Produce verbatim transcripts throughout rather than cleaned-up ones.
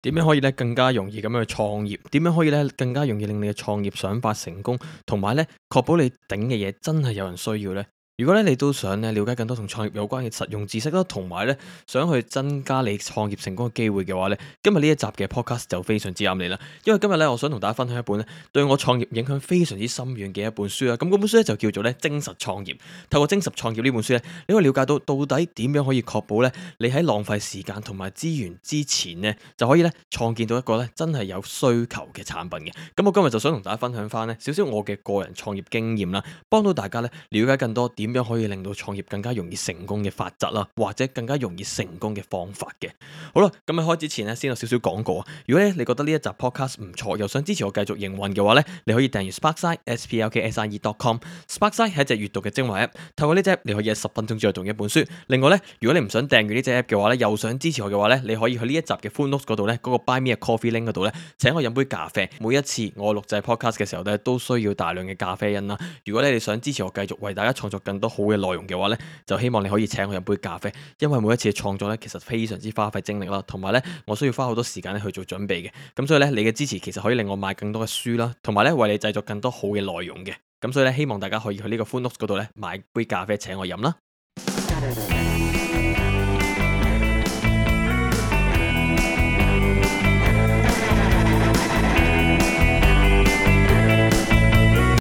點樣可以咧更加容易咁樣去創業？點樣可以咧更加容易令你嘅創業想法成功，同埋咧確保你頂嘅嘢真係有人需要呢？如果咧你都想咧了解更多同創業有關嘅實用知識啦，同埋咧想去增加你創業成功嘅機會嘅話咧，今日呢一集嘅 podcast 就非常之啱你啦。因為今日咧我想同大家分享一本咧對我創業影響非常之深遠嘅一本書啦。咁嗰本書咧就叫做咧精實創業。透過精實創業呢本書咧，你可以了解到到底點樣可以確保咧你喺浪費時間同埋資源之前呢，就可以咧創建到一個咧真係有需求嘅產品嘅。咁我今日就想同大家分享翻呢少少我嘅個人創業經驗啦，幫到大家咧了解更多點樣可以令到創業更加容易成功嘅法則啦，或者更加容易成功嘅方法嘅。好啦，咁喺開始之前咧，先有少少廣告啊。如果咧你覺得呢一集 podcast 唔錯，又想支持我繼續營運嘅話咧，你可以訂閱 Sparkside s p l k s i e dot com。Sparkside 係一隻閱讀嘅精華 app，透過呢隻 app 你可以喺十分鐘之內讀一本書。另外咧，如果你唔想訂閱呢隻 app 嘅話咧，又想支持我嘅話咧，你可以去呢一集嘅 full notes 嗰度咧，嗰、那個 Buy Me a Coffee link 嗰度咧，請我飲杯咖啡。每一次我錄製 podcast 嘅時候咧，都需要大量嘅咖啡因啦。如果你哋想支持我繼續為大家創作更多好嘅內容嘅話咧，就希望你可以請我飲杯咖啡，因為每一次嘅創作咧，其實非常之花費精力啦，同埋咧，我需要花好多時間咧去做準備嘅。咁所以咧，你嘅支持其實可以令我買更多嘅書啦，同埋咧為你製作更多好嘅內容嘅。咁所以咧，希望大家可以去呢個 full notes 嗰度咧買杯咖啡請我飲啦。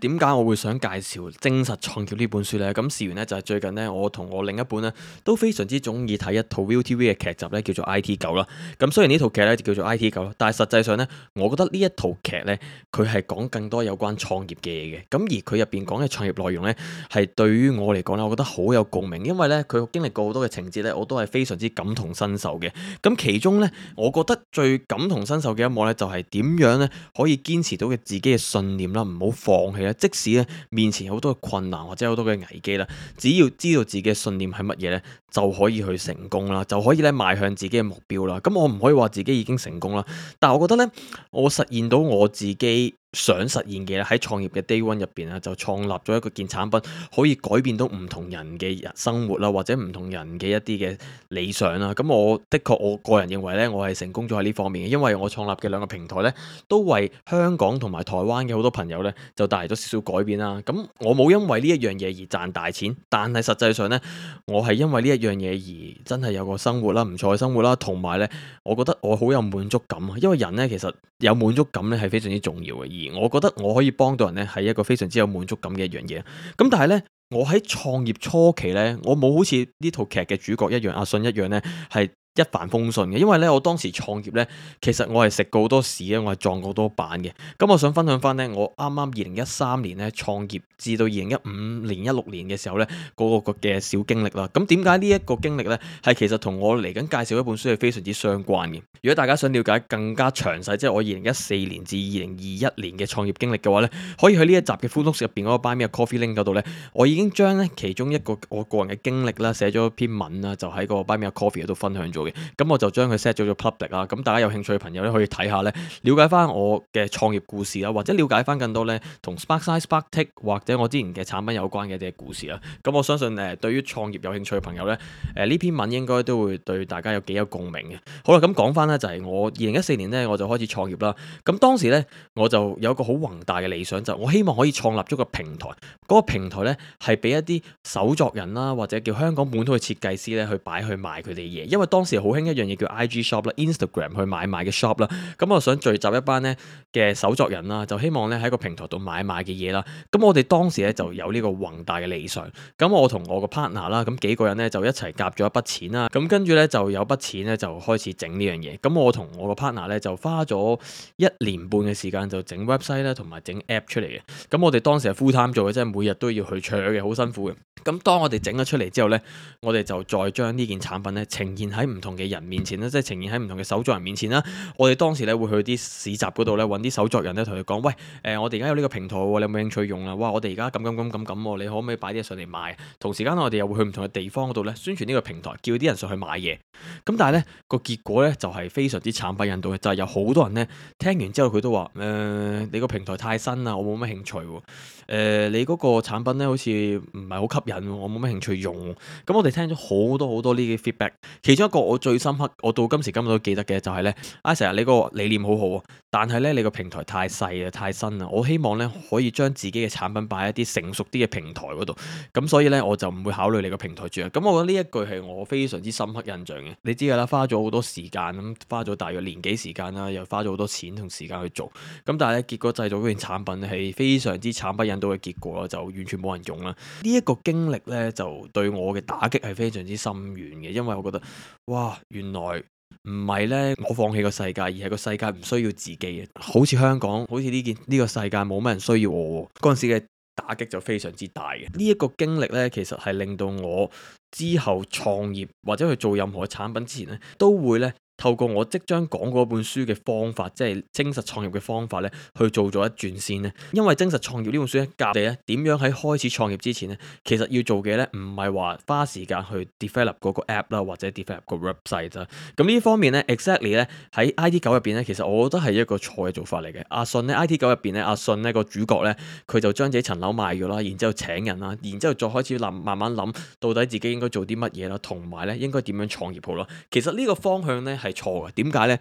點解我會想介紹精實創業呢本書呢？咁事緣呢，就係最近呢，我同我另一半呢都非常之中意睇一套 ViuTV 嘅劇集呢，叫做 I T 九啦。咁雖然呢套劇呢就叫做 I T 九啦，但係實際上呢，我覺得呢一套劇呢，佢係講更多有關創業嘅嘢嘅。咁而佢入邊講嘅創業內容呢，係對於我嚟講呢，我覺得好有共鳴，因為呢，佢經歷過好多嘅情節呢，我都係非常之感同身受嘅。咁其中呢，我覺得最感同身受嘅一幕呢，就係點樣呢可以堅持到嘅自己嘅信念啦，唔好放棄啦。即使咧面前有好多嘅困難或者好多嘅危機啦，只要知道自己嘅信念係乜嘢咧，就可以去成功啦，就可以咧邁向自己嘅目標啦。咁我唔可以話自己已經成功啦，但係我覺得咧，我實現到我自己想實現嘅喺創業嘅 day one 入邊啊，就創立咗一個件產品，可以改變到唔同人嘅人生活啦，或者唔同人嘅一啲嘅理想啦。咁我的確我個人認為咧，我係成功咗喺呢方面嘅，因為我創立嘅兩個平台咧，都為香港同埋台灣嘅好多朋友咧，就帶嚟咗少少改變啦。咁我冇因為呢一樣嘢而賺大錢，但係實際上咧，我係因為呢一樣嘢而真係有個生活啦，唔錯嘅生活啦，同埋咧，我覺得我好有滿足感啊。因為人咧其實有滿足感咧係非常之重要嘅。而我覺得我可以幫到人咧，係一個非常之有滿足感嘅一樣嘢。咁但係咧，我喺創業初期咧，我冇好似呢套劇嘅主角一樣，阿信一樣咧，係一帆風順嘅。因為咧，我當時創業咧，其實我係食過好多屎啊，我係撞過好多板嘅。咁我想分享翻咧，我啱啱二零一三年咧創業，至到二零一五年、一六年嘅時候咧，嗰個嘅小經歷啦。咁點解呢一個經歷咧，係其實同我嚟緊介紹一本書係非常之相關嘅。如果大家想了解更加詳細，即係我二零一四年至二零二一年嘅創業經歷嘅話咧，可以去呢一集嘅 full notes 入邊嗰個 Buy Me a Coffee link 嗰度咧，我已經將咧其中一個我個人嘅經歷啦，寫咗篇文啦，就喺個 Buy Me a Coffee 嗰度分享咗嘅。咁我就將佢 set 咗做 public 啊，咁大家有興趣嘅朋友咧可以睇下咧，了解翻我嘅創業故事啦，或者了解翻更多咧同 Sparkside、Sparktick 或者我之前嘅產品有關嘅一啲故事啦。咁我相信誒，對於創業有興趣嘅朋友咧，誒呢篇文應該都會對大家有幾有共鳴嘅。好啦，咁講翻咧就係我二零一四年咧我就開始創業啦。咁當時咧我就有一個好宏大嘅理想，就我希望可以創立咗個平台，嗰個平台咧係俾一啲手作人啦，或者叫香港本土嘅設計師咧去擺去賣佢哋嘢。因為當時好興一樣嘢叫 I G shop 啦、Instagram 去買賣嘅 shop 啦。咁我想聚集一班咧嘅手作人啦，就希望咧喺個平台度買賣嘅嘢啦。咁我哋當時咧就有呢個宏大嘅理想。咁我同我個 partner 啦，咁幾個人咧就一齊夾咗一筆錢啦。咁跟住咧就有筆錢咧就開始整呢樣嘢。咁我同我個 partner 咧就花咗一年半嘅時間就整 website 啦，同埋整 app 出嚟嘅。咁我哋當時係 full time 做嘅，即係每日都要去搶嘅，好辛苦嘅。咁當我哋整咗出嚟之後呢，我哋就再將呢件產品呢呈現喺唔同嘅人面前啦，即係呈現喺唔同嘅手作人面前啦。我哋當時呢會去啲市集嗰度呢揾啲手作人呢，同佢講：喂，誒、呃，我哋而家有呢個平台喎，你有冇興趣用啊？哇，我哋而家咁咁咁咁咁，你可唔可以擺啲嘢上嚟賣？同時間我哋又會去唔同嘅地方嗰度呢宣傳呢個平台，叫啲人上去買嘢。咁但係呢個結果呢，就係、是、非常之慘不忍睹嘅，就係、是、有好多人呢聽完之後佢都話：誒、呃，你個平台太新啦，我冇乜興趣喎。誒、呃，你嗰個產品呢好似唔係好吸引喎，我冇乜興趣用喎。咁我哋聽咗好多好多呢啲 feedback，其中一個我最深刻，我到今時今日都記得嘅就係呢：「啊，成日你個理念好好啊，但係呢，你個平台太細啊，太新啊，我希望呢，可以將自己嘅產品擺喺啲成熟啲嘅平台嗰度，咁所以呢，我就唔會考慮你個平台住啊。」咁我覺得呢一句係我非常之深刻印象嘅。你知㗎啦，花咗好多時間咁，花咗大約年幾時間啦，又花咗好多錢同時間去做，咁但係咧結果製造嗰件產品係非常之慘不忍睹嘅結果啦，就完全冇人用啦。呢一個經歷呢，就對我嘅打擊係非常之深遠嘅，因為我覺得哇，原來唔係呢，我放棄個世界，而係個世界唔需要自己嘅。好似香港，好似呢件呢個世界冇乜人需要我嗰陣時嘅打擊就非常之大嘅。呢一個經歷呢，其實係令到我之後創業或者去做任何嘅產品之前呢，都會呢。透過我即將講嗰本書嘅方法，即係精實創業嘅方法咧，去做咗一轉先咧。因為精實創業呢本書咧，教你咧點樣喺開始創業之前咧，其實要做嘅咧，唔係話花時間去 develop 嗰個 app 啦，或者 develop 個 website 啦。咁呢方面咧 ，exactly 咧喺 I T 九入邊咧，其實我覺得係一個錯嘅做法嚟嘅。阿信咧 I T 九入邊咧，阿信呢個主角咧，佢就將自己層樓賣咗啦，然之後請人啦，然之後再開始諗，慢慢諗到底自己應該做啲乜嘢啦，同埋咧應該點樣創業好啦。其實呢個方向咧係錯嘅，點解呢？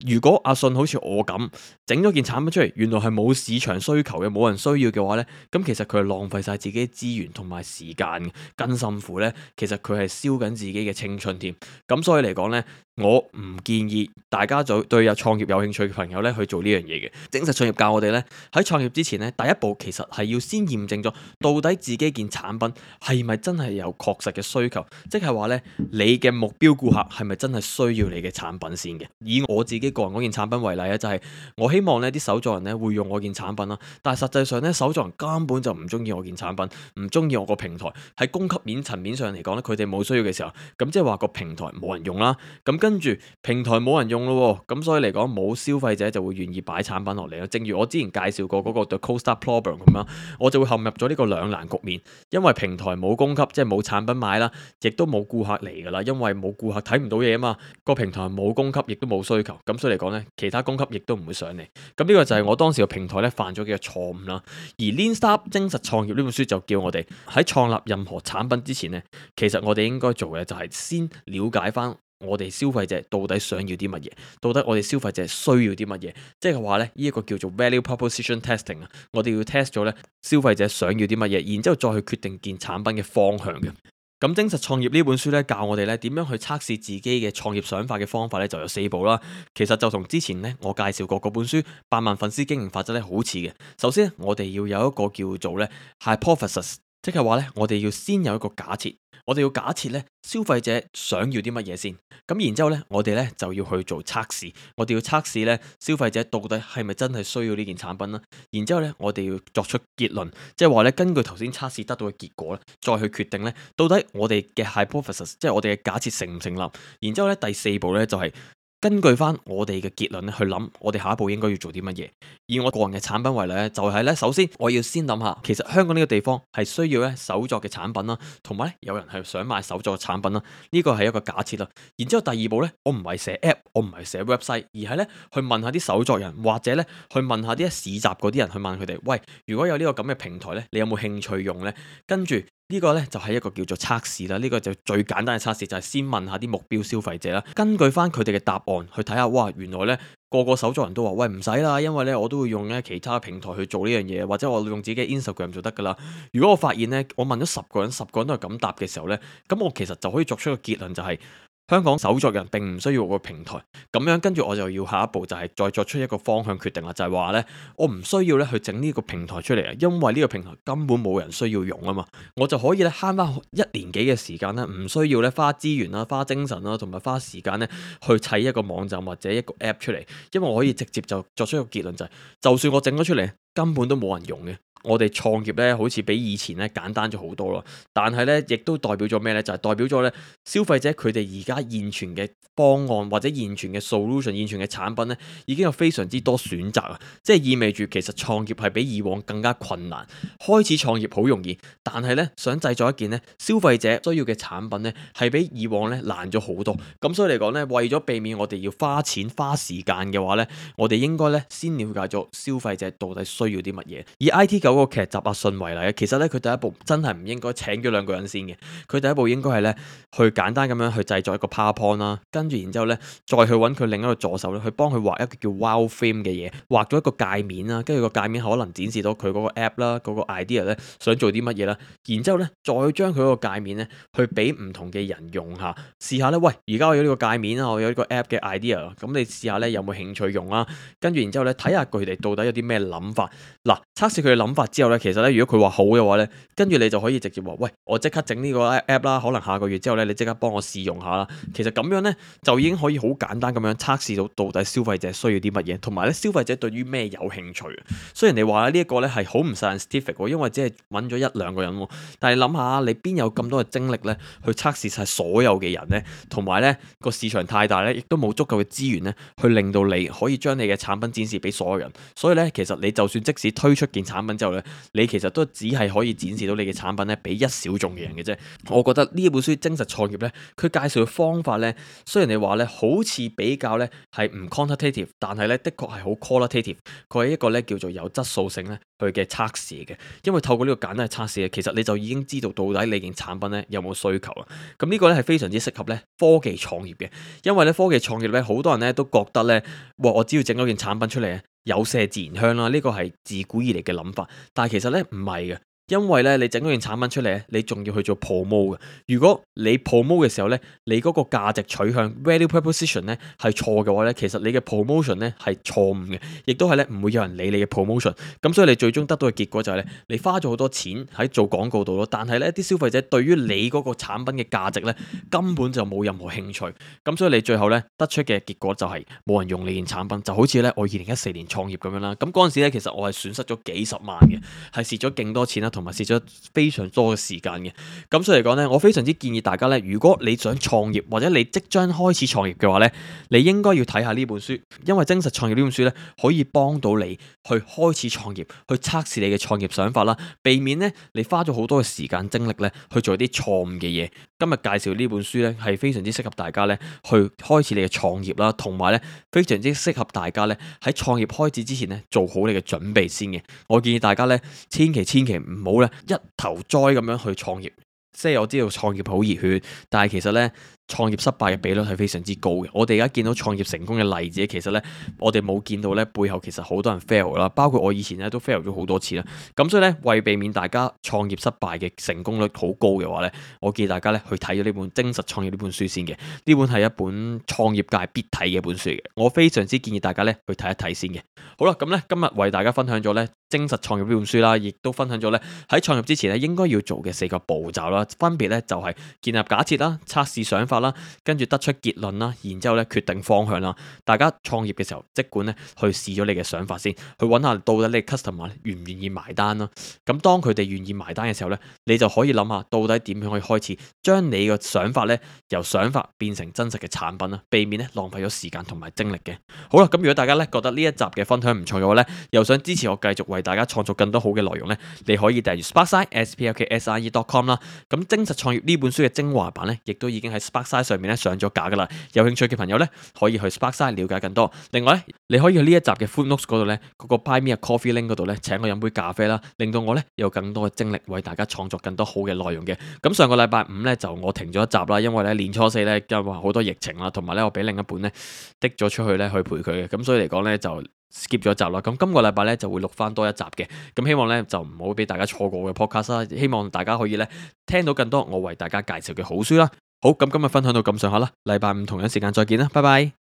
如果阿信好似我咁整咗件產品出嚟，原來係冇市場需求嘅，冇人需要嘅話呢，咁其實佢係浪費晒自己資源同埋時間，更甚乎呢，其實佢係燒緊自己嘅青春添。咁所以嚟講呢，我唔建議大家就對有創業有興趣嘅朋友呢去做呢樣嘢嘅。精實創業教我哋呢，喺創業之前呢，第一步其實係要先驗證咗到底自己件產品係咪真係有確實嘅需求，即係話呢，你嘅目標顧客係咪真係需要你嘅產品先嘅。以我自己個人嗰件產品為例咧，就係我希望呢啲手作人呢會用我件產品啦，但係實際上呢，手作人根本就唔中意我件產品，唔中意我個平台。喺供給面層面上嚟講呢，佢哋冇需要嘅時候，咁即係話個平台冇人用啦。咁跟住平台冇人用咯，咁所以嚟講冇消費者就會願意擺產品落嚟啦。正如我之前介紹過嗰個 The Co-Star Problem 咁樣，我就會陷入咗呢個兩難局面，因為平台冇供給，即係冇產品買啦，亦都冇顧客嚟噶啦，因為冇顧客睇唔到嘢啊嘛。個平台冇供給，亦都冇需求，咁所以嚟講呢，其他供給亦都唔會上嚟。咁呢個就係我當時個平台咧犯咗嘅錯誤啦。而 Lean Startup 精實創業呢本書就叫我哋喺創立任何產品之前呢，其實我哋應該做嘅就係先了解翻我哋消費者到底想要啲乜嘢，到底我哋消費者需要啲乜嘢，即係話呢，呢一個叫做 Value Proposition Testing 啊，我哋要 test 咗呢消費者想要啲乜嘢，然之後再去決定件產品嘅方向嘅。咁精實創業呢本書咧教我哋咧點樣去測試自己嘅創業想法嘅方法咧就有四步啦。其實就同之前咧我介紹過嗰本書百萬粉絲經營法則咧好似嘅。首先我哋要有一個叫做咧 hypothesis，即係話咧我哋要先有一個假設。我哋要假設咧消費者想要啲乜嘢先，咁然之後咧我哋咧就要去做測試，我哋要測試咧消費者到底係咪真係需要呢件產品啦，然之後咧我哋要作出結論，即係話咧根據頭先測試得到嘅結果咧，再去決定咧到底我哋嘅 hypothesis，即係我哋嘅假設成唔成立，然之後咧第四步咧就係根據翻我哋嘅結論咧去諗，我哋下一步應該要做啲乜嘢。以我個人嘅產品為例咧，就係咧，首先我要先諗下，其實香港呢個地方係需要咧手作嘅產品啦，同埋咧有人係想買手作嘅產品啦，呢個係一個假設啦。然之後第二步咧，我唔係寫 app，我唔係寫 website，而係咧去問下啲手作人，或者咧去問下啲市集嗰啲人，去問佢哋，喂，如果有呢個咁嘅平台咧，你有冇興趣用咧？跟住呢個呢，就係一個叫做測試啦，呢個就最簡單嘅測試就係先問下啲目標消費者啦，根據翻佢哋嘅答案去睇下，哇，原來呢個個手作人都話，喂，唔使啦，因為呢我都會用呢其他平台去做呢樣嘢，或者我用自己嘅 Instagram 就得噶啦。如果我發現呢，我問咗十個人，十個人都係咁答嘅時候呢，咁我其實就可以作出一個結論，就係香港手作人並唔需要個平台，咁樣跟住我就要下一步就係再作出一個方向決定啦，就係話呢，我唔需要咧去整呢個平台出嚟啊，因為呢個平台根本冇人需要用啊嘛，我就可以咧慳翻一年幾嘅時間咧，唔需要咧花資源啦、花精神啦，同埋花時間咧去砌一個網站或者一個 app 出嚟，因為我可以直接就作出一個結論，就係就算我整咗出嚟，根本都冇人用嘅。我哋創業咧，好似比以前咧簡單咗好多咯。但係咧，亦都代表咗咩咧？就係代表咗咧，消費者佢哋而家現存嘅方案或者現存嘅 solution、現存嘅產品咧，已經有非常之多選擇啊！即係意味住其實創業係比以往更加困難。開始創業好容易，但係咧想製作一件咧消費者需要嘅產品咧，係比以往咧難咗好多。咁所以嚟講咧，為咗避免我哋要花錢花時間嘅話咧，我哋應該咧先了解咗消費者到底需要啲乜嘢。而 I T 九九嗰個劇集阿信為例，其實咧佢第一步真係唔應該請咗兩個人先嘅，佢第一步應該係咧去簡單咁樣去製作一個 PowerPoint 啦，跟住然之後咧再去揾佢另一個助手咧去幫佢畫一個叫 Wireframe 嘅嘢，畫咗一個界面啦，跟住個界面可能展示到佢嗰個 app 啦，嗰個 idea 咧想做啲乜嘢啦，然之後咧再將佢嗰個界面咧去俾唔同嘅人用下，試下咧，喂，而家我有呢個界面啊，我有呢個 app 嘅 idea，咁你試下咧有冇興趣用啊？跟住然之後咧睇下佢哋到底有啲咩諗法。嗱，測試佢嘅諗法之後咧，其實咧如果佢話好嘅話咧，跟住你就可以直接話，喂，我即刻整呢個 app 啦，可能下個月之後咧，你即刻幫我試用下啦。其實咁樣咧就已經可以好簡單咁樣測試到到底消費者需要啲乜嘢，同埋咧消費者對於咩有興趣。雖然你話呢一個咧係好唔 scientific，因為只係揾咗一兩個人，但係諗下你邊有咁多嘅精力咧去測試晒所有嘅人咧，同埋咧個市場太大咧，亦都冇足夠嘅資源咧去令到你可以將你嘅產品展示俾所有人。所以咧，其實你就算即使推出件產品之後咧，你其實都只係可以展示到你嘅產品咧俾一小眾嘅人嘅啫。我覺得呢一本書《精實創業》咧，佢介紹嘅方法咧，雖然你話咧好似比較咧係唔 quantitative，但係咧的確係好 qualitative。佢係一個咧叫做有質素性咧佢嘅測試嘅，因為透過呢個簡單嘅測試咧，其實你就已經知道到底你件產品咧有冇需求啦。咁呢個咧係非常之適合咧科技創業嘅，因為咧科技創業咧好多人咧都覺得咧，哇！我只要整咗件產品出嚟，有麝自然香啦，呢個係自古以嚟嘅諗法。但係其實咧唔係嘅。因為咧，你整嗰件產品出嚟咧，你仲要去做 promote 嘅。如果你 promote 嘅時候咧，你嗰個價值取向 value proposition 咧係錯嘅話咧，其實你嘅 promotion 咧係錯誤嘅，亦都係咧唔會有人理你嘅 promotion。咁所以你最終得到嘅結果就係咧，你花咗好多錢喺做廣告度咯，但係咧啲消費者對於你嗰個產品嘅價值咧根本就冇任何興趣。咁所以你最後咧得出嘅結果就係冇人用你件產品，就好似咧我二零一四年創業咁樣啦。咁嗰陣時咧其實我係損失咗幾十萬嘅，係蝕咗勁多錢啦，同埋蝕咗非常多嘅時間嘅，咁所以嚟講呢，我非常之建議大家呢，如果你想創業或者你即將開始創業嘅話呢，你應該要睇下呢本書，因為精實創業呢本書呢，可以幫到你去開始創業，去測試你嘅創業想法啦，避免呢你花咗好多嘅時間精力呢去做啲錯誤嘅嘢。今日介紹呢本書呢，係非常之適合大家呢去開始你嘅創業啦，同埋呢非常之適合大家呢喺創業開始之前呢做好你嘅準備先嘅。我建議大家呢，千祈千祈唔好呢一頭栽咁樣去創業。即係我知道創業好熱血，但係其實呢，創業失敗嘅比率係非常之高嘅。我哋而家見到創業成功嘅例子，其實呢，我哋冇見到呢背後其實好多人 fail 啦，包括我以前呢都 fail 咗好多次啦。咁所以呢，為避免大家創業失敗嘅成功率好高嘅話呢，我建議大家呢去睇咗呢本《精實創業》呢本書先嘅。呢本係一本創業界必睇嘅一本書嘅，我非常之建議大家呢去睇一睇先嘅。好啦，咁呢，今日為大家分享咗呢《精實創業》呢本書啦，亦都分享咗呢喺創業之前呢應該要做嘅四個步驟啦。分別咧就係建立假設啦、測試想法啦，跟住得出結論啦，然之後咧決定方向啦。大家創業嘅時候，即管咧去試咗你嘅想法先，去揾下到底你 customer 願唔願意埋單啦。咁當佢哋願意埋單嘅時候咧，你就可以諗下到底點樣可以開始將你個想法咧由想法變成真實嘅產品啦，避免咧浪費咗時間同埋精力嘅。好啦，咁如果大家咧覺得呢一集嘅分享唔錯嘅話咧，又想支持我繼續為大家創作更多好嘅內容咧，你可以訂閱 Sparkside S P L K S I E dot com 啦。咁精實創業呢本書嘅精華版咧，亦都已經喺 Sparkside 上面咧上咗架噶啦。有興趣嘅朋友咧，可以去 Sparkside 了解更多。另外咧，你可以去呢一集嘅 Footnotes 嗰度咧，嗰個 Buy Me a Coffee link 嗰度咧，請我飲杯咖啡啦，令到我咧有更多嘅精力為大家創作更多好嘅內容嘅。咁上個禮拜五咧就我停咗一集啦，因為咧年初四咧因為好多疫情啦，同埋咧我俾另一半咧滴咗出去咧去陪佢嘅，咁所以嚟講咧就 skip 咗一集啦。咁今個禮拜咧就會錄翻多一集嘅。咁希望咧就唔好俾大家錯過嘅 podcast 啦。希望大家可以咧聽到更多我為大家介紹嘅好書啦。好，咁今日分享到咁上下啦，禮拜五同樣時間再見啦，拜拜。